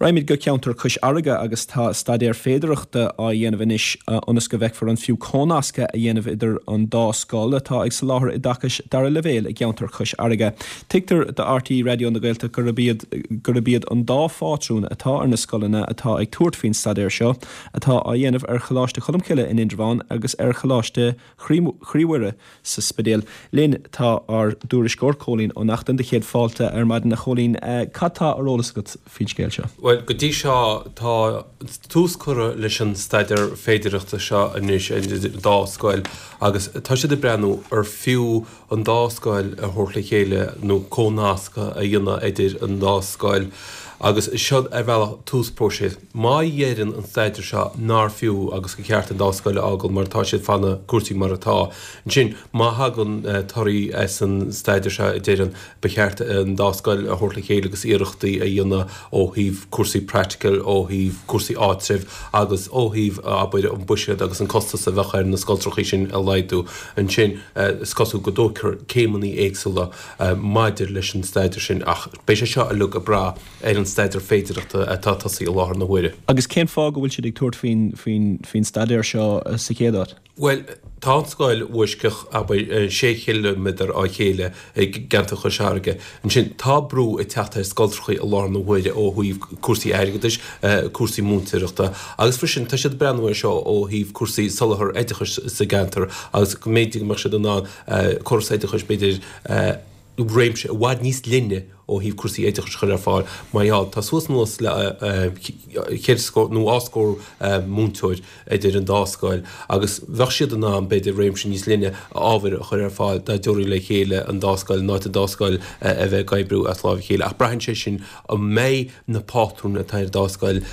Raghaimid go ceantar Chois Fharraige agus tá staidéar féidearthachta á dhéanamh anois ionas go bhfeicfear an fiú cónascadh a dhéanamh idir an dá scoil atá ag soláthar oideachais dara leibhéal i gceantar Chois Fharraige. Tuigtear do RTÉ Raidió na Gaeltachta gurb iad gurb iad an dá phátrún atá ar na scoileanna atá ag tabhairt faoin staidéar seo atá á dhéanamh ar Choláiste Cholmcille in Indreabhán agus ar Choláiste Chroí Mhuire sa Spidéal. Linn tá ár dtuairisceoir, Cóilín Ó Neachtain. Do chéad fáilte ar maidin, a Chóilín. Cad tá ar eolas agat faoin scéal seo? Bhuel, go dtí seo tá tús curtha leis an staidéar féidearthachta seo anois idir an dá scoil agus tá siad ag breathnú ar fiú an dá scoil a thabhairt le chéile nó comhnascadh a dhéanamh idir an dá scoil agus seo ar bhealach tús próiseas. Má dheireann an staidéar seo nár fiú agus gur cheart an dá scoil a fhágáil mar atá siad fanfaidh cúrsaí mar atá. Ansin, má thagann torthaí as an staidéar seo a deireann ba cheart an dá scoil a thabhairt le chéile agus iarrachtaí a dhéanamh ó thaobh cúrsaí practical, ó thaobh cúrsaí áitribh agus ó thaobh, abair, an buiséad agus an costas a bheadh ar na scoltrachaí sin a laghdú. Ansin, is cosúil go dtógfar céimeanna éagsúla maidir leis an staidéar sin ach beidh sé seo uilig ag brath ar an staidéar féidearthachta atá tosaithe i láthair na huaire. Agus cén fáth go bhfuil siad ag tabhairt faoin staidéar seo sa chéad áit? Bhuel, tá an scoil Bhoisceach, abair, sé chiliméadar ó chéile i gceantar Chois Fharraige. Ansin, tá brú ag teacht ar scoltrachaí i láthair na huaire ó thaobh cúrsaí airgeadais, cúrsaí múinteoireachta agus freisin tá siad ag breathnú air seo ó thaobh cúrsaí soláthar oideachais sa gceantar agus go mb'fhéidir go mbeadh siad in ann córas oideachais b'fhéidir réimse i bhfad níos leithne ó thaobh cúrsaí oideachais a chur ar fáil mar gheall tá suas anuas le ceithre scór nó dhá scór múinteoir idir an dá scoil agus bheadh siad in ann b'fhéidir réimse níos leithne ábhair a chur ar fáil dá dtabharfaí le chéile an dá scoil in áit an dá scoil a bheith ag oibriú as láimh a chéile ach braitheann sé sin an mbeidh na pátrúin atá ar an dá scoil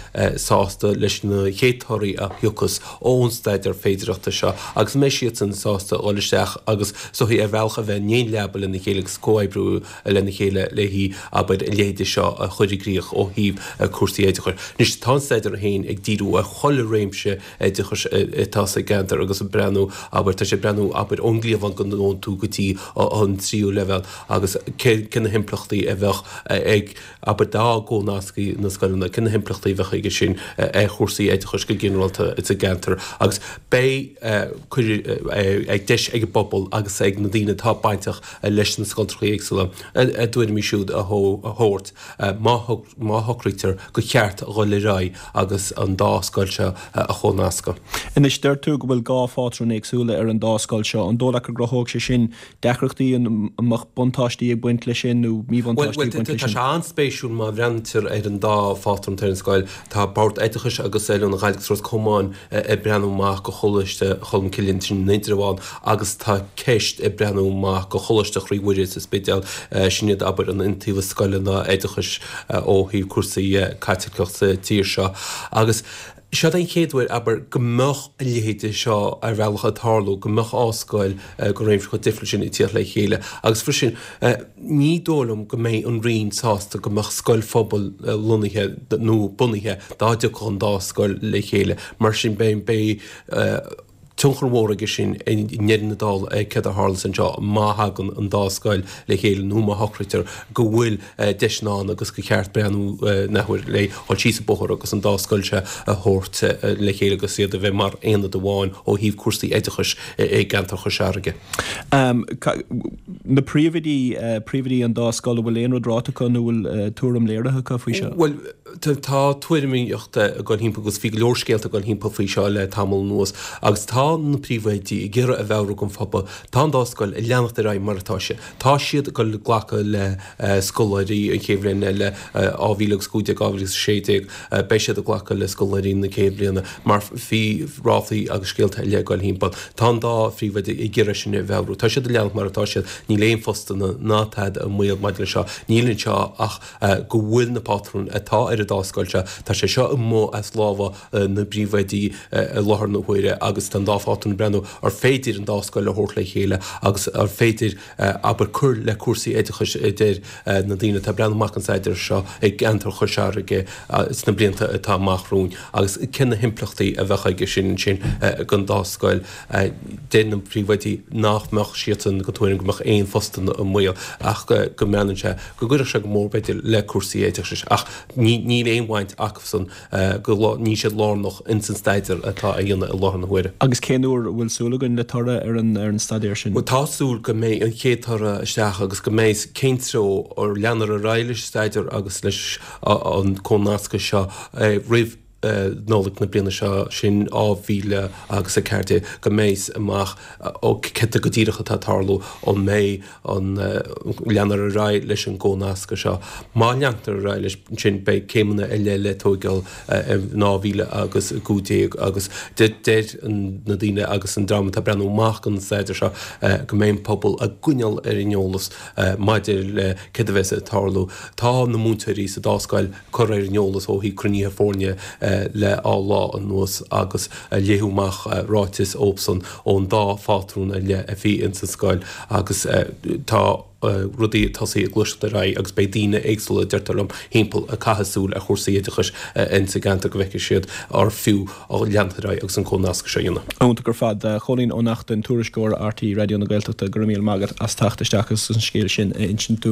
sásta leis na chéad torthaí a thiocfas ón staidéar féidearthachta seo agus an mbeidh siadsan sásta a dhul isteach agus is dóichí ar bhealach a bheith in aon leaba lena chéile agus comhoibriú lena chéile le haghaidh, abair, a leithéide seo a chur i gcrích ó thaobh cúrsaí oideachais. Anois, tá an staidéar féin ag díriú ar chuile réimse oideachais atá sa gceantar agus ag breathnú, abair, tá sé ag breathnú, abair, ón gcliabhán go ndónn tú go dtí an tríú leibhéal agus cé na himpleachtaí a bheadh ag Abair dá gcónascfaí na scoileanna, cé na himpleachtaí a bheadh aige sin ar chúrsaí oideachais go ginearálta sa gceantar agus beidh ag deis ag an bpobal agus ag na daoine atá bainteach leis na scoltrachaí éagsúla a dtuairimí siúd a thabhairt má shocraítear gur cheart a dhul ar aghaidh agus an dá scoil seo a chónascadh. Anois, deir tú go bhfuil 2 phátrún éagsúla ar an dá scoil seo. An dóigh leat go gcruthóidh sé sin deacrachtaí, an mbeadh buntáistí ag baint leis sin nó míbhuntáistí ag baint leis sin? Tá sé an-spéisiúil má bhreathnaítear ar an dá phátrún atá ar an scoil. Tá Bord Oideachais agus Oiliúna Ghaillimh agus Ros Comáin ag breathnú amach go Choláiste Cholmcille ansin in Indreabhán agus tá CEST ag breathnú amach go Choláiste Chroí Mhuire sa Spidéal. Sin iad, abair, an iontaobhas scoileanna oideachais ó thaobh cúrsaí Caitliceach sa tír seo. Agus Seod é an chéad uair, abair, go mbeadh a leithéide seo ar bhealach ag tarlú, go mbeadh dhá scoil de réimse chomh difriúil sin ag tíocht le chéile. Agus freisin, ní dóigh liom go mbeidh an Roinn sásta go mbeadh scoil phobail lonnaithe nó bunaithe dá dtiocfadh an dá scoil le chéile. Mar sin, beidh, beidh tionchar mhór aige sin i ndeireadh na dála ar céard a tharlós anseo má thagann an dá scoil le chéile nó má shocraítear go bhfuil deiseanna ann agus gur cheart breathnú an athuair le dhul síos an bóthar agus an dá scoil seo a thabhairt le chéile agus iad a bheith mar aonad amháin ó thaobh cúrsaí oideachais i gceantar Chois Fharraige. Na príomhoidí, príomhoidí an dá scoil, an bhfuil aon rud ráite acu nó an bhfuil tuairim léirithe acu faoi seo? Bhuel, Tá tuairimíocht ag dul thimpeall agus bhí go leor scéalta ag dul thimpeall faoi seo le tamall anuas agus tá na príomhoidí ag iarraidh a mheabhrú don phobal, tá an dá scoil ag leanacht ar aghaidh mar atá sé. Tá siad ag dul glacadh le scoláirí an chéad bhliain eile, 2015, 2016, beidh siad ag glacadh le scoláirí na céad bhliana mar bhí ráflaí agus scéalta eile ag dul thimpeall. Tá an dá phríomhoide ag iarraidh sin a mheabhrú. Tá siad ag leanacht mar atá siad, níl aon phostanna ná tada i mbaol maidir leis seo, níl anseo ach go bhfuil na pátrúin atá ar an dá scoil seo, tá sé seo amuigh as lámha na bpríomhoidí i láthair na huaire agus tá an dá phátrún ag breathnú ar féidir an dá scoil a thabhairt le chéile agus ar féidir, abair, cur le cúrsaí oideachais a deir na daoine atá ag breathnú amach an staidéar seo i gceantar Chois Fharraige sna blianta atá amach romhainn agus cé na himpleachtaí a bheadh aige sin ansin don dá scoil. Deir na príomhoidí nach mbeadh siadsan den tuairim go mbeadh aon phostanna i mbaol ach go mbreathnaíonn sé go gcuirfeadh sé go mór b'fhéidir le cúrsaí oideachais ach ní Níl aon bhaint acusan go, níl siad lárnach ins an staidéar atá á dhéanamh i láthair na huaire. Agus cén uair a bhfuil súil againn le toradh ar an ar an staidéar sin? Bhuel tá súil go mbeidh an chéad toradh isteach agus go mbeidh cén treo ar leanfar ar aghaidh leis an staidéar agus leis an comhnascadh seo roimh Nollaig na bliana seo, sin 2014, go mbeidh amach ó céard go díreach atá ag tarlú, an mbeidh an leanfar ar aghaidh leis an gcomhnascadh seo. Má leantar ar aghaidh leis ansin beidh céimeanna eile le tóigeáil in 2015 agus deir na daoine agus an dream atá ag breathnú amach don staidéar seo go mbeidh an pobal á gcoinneáil ar an eolas maidir le céard a bheas ag tarlú. Tá na múinteoirí sa dá scoil curtha ar an eolas ó thaobh cruinnithe foirne le dhá lá anuas agus léadh amach ráiteas dóibhsan ón dá phátrún ar leith a bhí ins an scoil agus tá rudaí ag tosaí ag gluaiseacht ar aghaidh agus beidh daoine éagsúla, deirtear liom, thimpeall ag caitheamh súil ar chúrsaí oideachais ins an gceantar go bhfeicfidh siad ar fiú leanacht ar aghaidh agus an comhnascadh seo a dhéanamh. Iontach ar fad. Cóilín Ó Neachtain, tuairisceoir RTÉ Raidió na Gaeltachta, go raibh míle maith agat as teacht isteach agus an scéal sin a insint dúinn.